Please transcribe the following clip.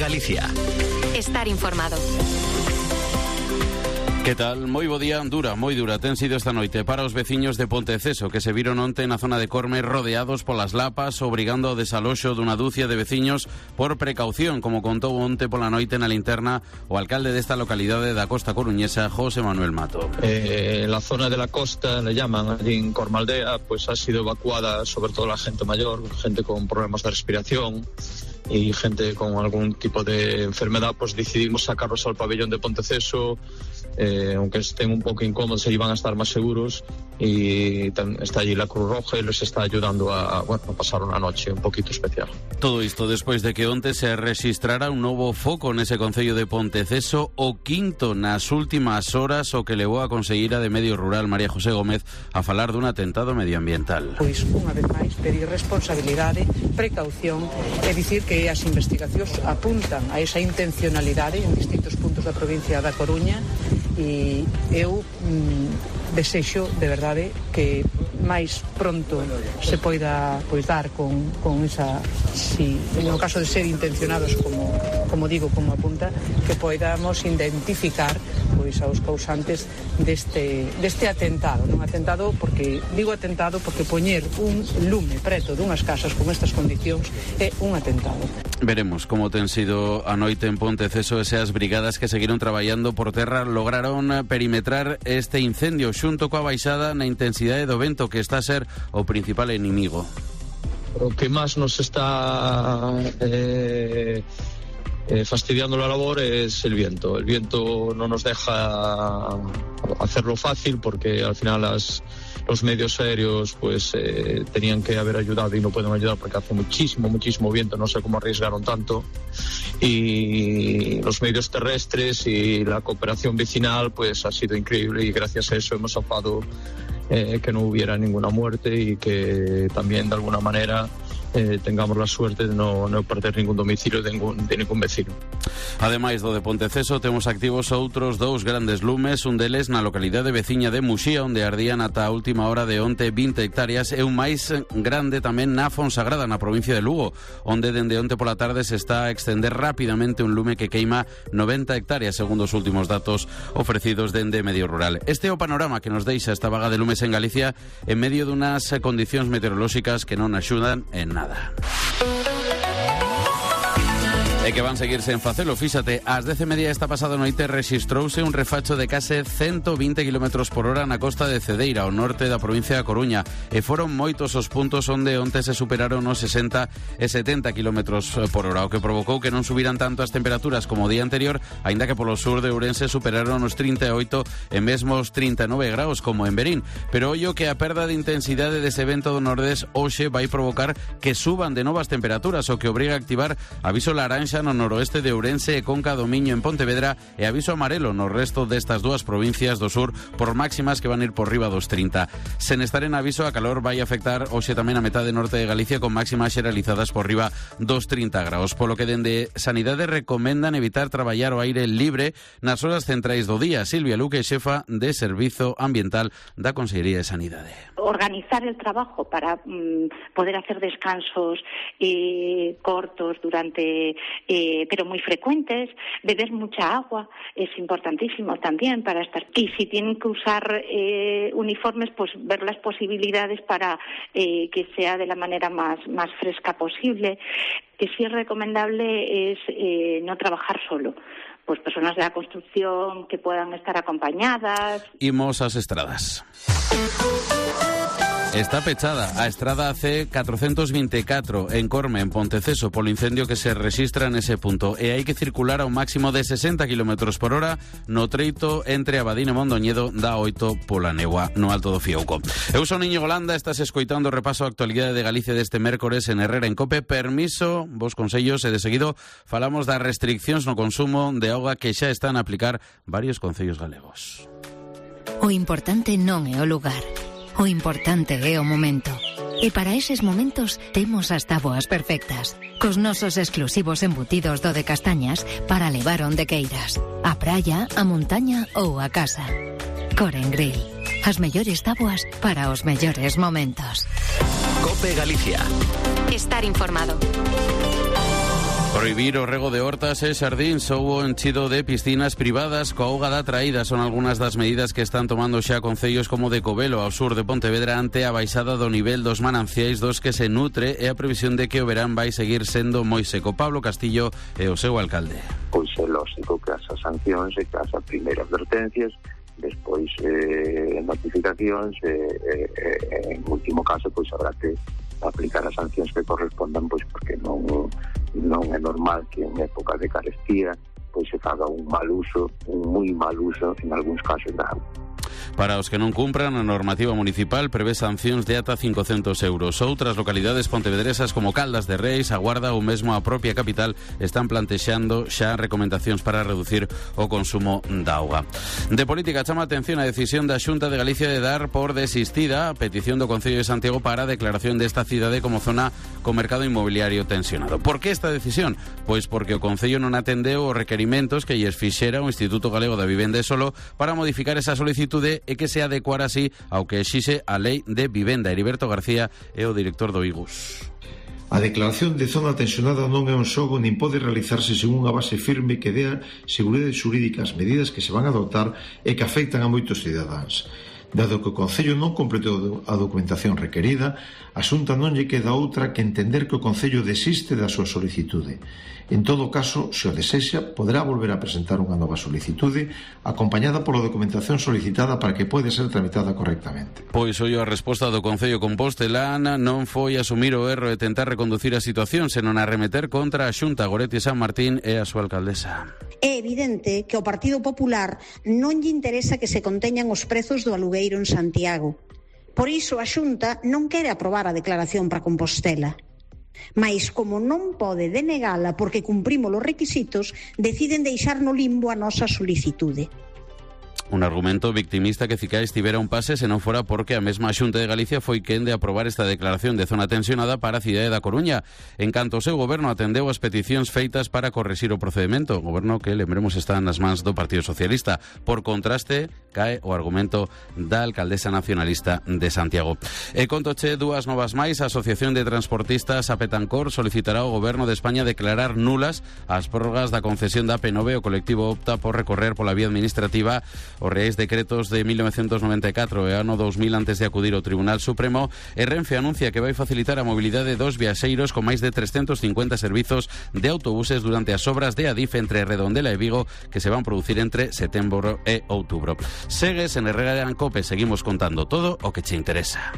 Galicia. Estar informado. Que tal? Moi bo día. Moi dura ten sido esta noite para os veciños de Ponteceso, que se viron onte na zona de Corme rodeados polas lapas, obrigando ao desaloxo dunha dúcia de veciños por precaución, como contou onte pola noite na linterna o alcalde desta localidade da costa coruñesa, José Manuel Mato. La zona de la costa, le llaman, allí en Cormaldea, pues ha sido evacuada sobre todo la gente mayor, gente con problemas de respiración y gente con algún tipo de enfermedad. Pues decidimos sacarlos al pabellón de Ponteceso, aunque estén un poco incómodos, allí van a estar más seguros, y está allí la Cruz Roja y les está ayudando a pasar una noche un poquito especial. Todo isto despois de que onte se registrara un novo foco nese concello de Ponteceso, o quinto nas últimas horas, o que levou a conselleira de Medio Rural, María José Gómez, a falar dun atentado medioambiental. Pois, unha vez máis, pedir responsabilidade, precaución, é dicir que as investigacións apuntan a esa intencionalidade en distintos puntos da provincia da Coruña, e eu desexo de verdade que máis pronto se poida dar con esa, si no caso de ser intencionados como digo, como apunta, que poidamos identificar pois aos causantes deste atentado. Non atentado porque digo atentado porque poñer un lume preto dunhas casas con estas condicións é un atentado. Veremos como ten sido a noite en Ponteceso, e as brigadas que seguiron traballando por terra lograron perimetrar este incendio xunto coa baixada na intensidade do vento, que está a ser o principal inimigo. Lo que más nos está fastidiando la labor es el viento. El viento no nos deja hacerlo fácil, porque al final los medios aéreos pues tenían que haber ayudado y no pueden ayudar porque hace muchísimo viento. No sé cómo arriesgaron tanto, y los medios terrestres y la cooperación vecinal pues ha sido increíble, y gracias a eso hemos zafado que no hubiera ninguna muerte, y que también de alguna manera tengamos la suerte de no perder ningún domicilio de ningún vecino. Ademais do de Ponteceso, temos activos outros dous grandes lumes, un deles na localidade veciña de Muxía, onde ardían ata a última hora de onte 20 hectáreas, e un máis grande tamén na Fonsagrada, na provincia de Lugo, onde dende onte pola tarde se está a extender rapidamente un lume que queima 90 hectáreas, segundo os últimos datos ofrecidos dende Medio Rural. Este é o panorama que nos deixa esta vaga de lumes en Galicia, en medio dunhas condicións meteorolóxicas que non axudan en nada. E que van seguirse en facelo. Fíxate, ás 10:30 esta pasada noite rexistrouse un refacho de case 120 km por hora na costa de Cedeira, ao norte da provincia da Coruña, e foron moitos os puntos onde onte se superaron os 60 e 70 km por hora, o que provocou que non subiran tanto as temperaturas como o día anterior, aínda que polo sur de Ourense superaron os 38 e mesmo os 39 graus como en Verín. Pero ollo que a perda de intensidade dese vento do nordés hoxe vai provocar que suban de novas temperaturas, o que obriga a activar aviso laranxa no noroeste de Ourense e Conca do Miño en Pontevedra, e aviso amarelo no resto destas dúas provincias do sur por máximas que van ir por riba dos 30. Sen estar en aviso, a calor vai afectar hoxe tamén a metade norte de Galicia, con máximas xeralizadas por riba dos 30 graus, polo que dende Sanidade recomendan evitar traballar ao aire libre nas horas centrais do día. Silvia Luque, xefa de Servizo Ambiental da Consellería de Sanidade. Organizar el trabajo para poder hacer descansos cortos durante pero muy frecuentes, beber mucha agua es importantísimo también para estar. Y si tienen que usar uniformes, pues ver las posibilidades para que sea de la manera más fresca posible. Que sí es recomendable es no trabajar solo. Pues personas de la construcción que puedan estar acompañadas. Imos ás estradas. Está pechada a estrada C424 en Corme, en Ponteceso, polo incendio que se rexistra nese punto, e hai que circular a un máximo de 60 km por hora no treito entre Abadín e Mondoñedo da 8 pola Negua, no Alto do Fiouco. Eu son Íñigo Landa, estás escoitando o repaso a actualidade de Galicia deste mércores en Herrera en Cope. Permiso, vos consellos, e de seguido falamos das restriccións no consumo de auga que xa están a aplicar varios concellos galegos. O importante non é o lugar. O importante é o momento. E para eses momentos temos as táboas perfectas, cos nosos exclusivos embutidos do de castañas para levar onde queiras, a praia, a montaña ou a casa. Coren Grill, as mellores táboas para os mellores momentos. COPE Galicia. Estar informado. Prohibir o rego de hortas e xardíns ou o enchido de piscinas privadas coa auga da traída son algunhas das medidas que están tomando xa concellos como de Covelo, ao sur de Pontevedra, ante a baixada do nivel dos mananciais dos que se nutre e a previsión de que o verán vai seguir sendo moi seco. Pablo Castillo é o seu alcalde. Pois é lógico que as sancións e que as primeiras advertencias, despois notificacións en último caso pois habrá que aplicar as sancións que correspondan, pois porque non é normal que en época de carestía pois se faga un moi mal uso en algúns casos da auga. Para os que non cumpran, a normativa municipal prevé sancións de ata 500 euros. Outras localidades pontevedresas como Caldas de Reis, A Guarda ou mesmo a propia capital están plantexando xa recomendacións para reducir o consumo da auga. De política chama a atención a decisión da Xunta de Galicia de dar por desistida a petición do Concello de Santiago para a declaración desta cidade como zona co mercado inmobiliario tensionado. Por que esta decisión? Pois porque o Concello non atendeu os requerimentos que lles fixera o Instituto Galego da Vivenda e Solo para modificar esa solicitude e que se adecuara así ao que exixe a Lei de Vivenda. Heriberto García é o director do IGUS. A declaración de zona tensionada non é un xogo nin pode realizarse sen unha base firme que dea seguridade xurídica ás medidas que se van a adoptar e que afectan a moitos cidadáns. Dado que o Concello non completou a documentación requerida, a Xunta non lle queda outra que entender que o Concello desiste da súa solicitude. En todo caso, se o desexa, poderá volver a presentar unha nova solicitude acompañada pola documentación solicitada para que pode ser tramitada correctamente. Pois hoxe a resposta do Concello compostelán non foi asumir o erro e tentar reconducir a situación, senón arremeter contra a Xunta. Goretti San Martín é a súa alcaldesa. É evidente que ao Partido Popular non lle interesa que se conteñan os prezos do alugueiro en Santiago. Por iso a Xunta non quere aprobar a declaración para Compostela. Mais como non pode denegala porque cumprimos os requisitos, deciden deixar no limbo a nosa solicitude. Un argumento victimista que Cicais tivera un pase se non fora porque a mesma Xunta de Galicia foi quen de aprobar esta declaración de zona tensionada para a cidade da Coruña. En canto o seu goberno atendeu as peticións feitas para correxir o procedimento, o goberno que, lembremos, está nas mans do Partido Socialista. Por contraste, cae o argumento da alcaldesa nacionalista de Santiago. E contoche dúas novas máis. A Asociación de Transportistas a Petancor solicitará ao goberno de España declarar nulas as prórrogas da concesión da AP9. O colectivo opta por recorrer pola vía administrativa os reais decretos de 1994 e ano 2000 antes de acudir ao Tribunal Supremo. E Renfe anuncia que vai facilitar a mobilidade dos viaxeiros con máis de 350 servizos de autobuses durante as obras de Adif entre Redondela e Vigo que se van producir entre setembro e outubro. Segues en Herrera de Ancope, seguimos contando todo o que che interesa.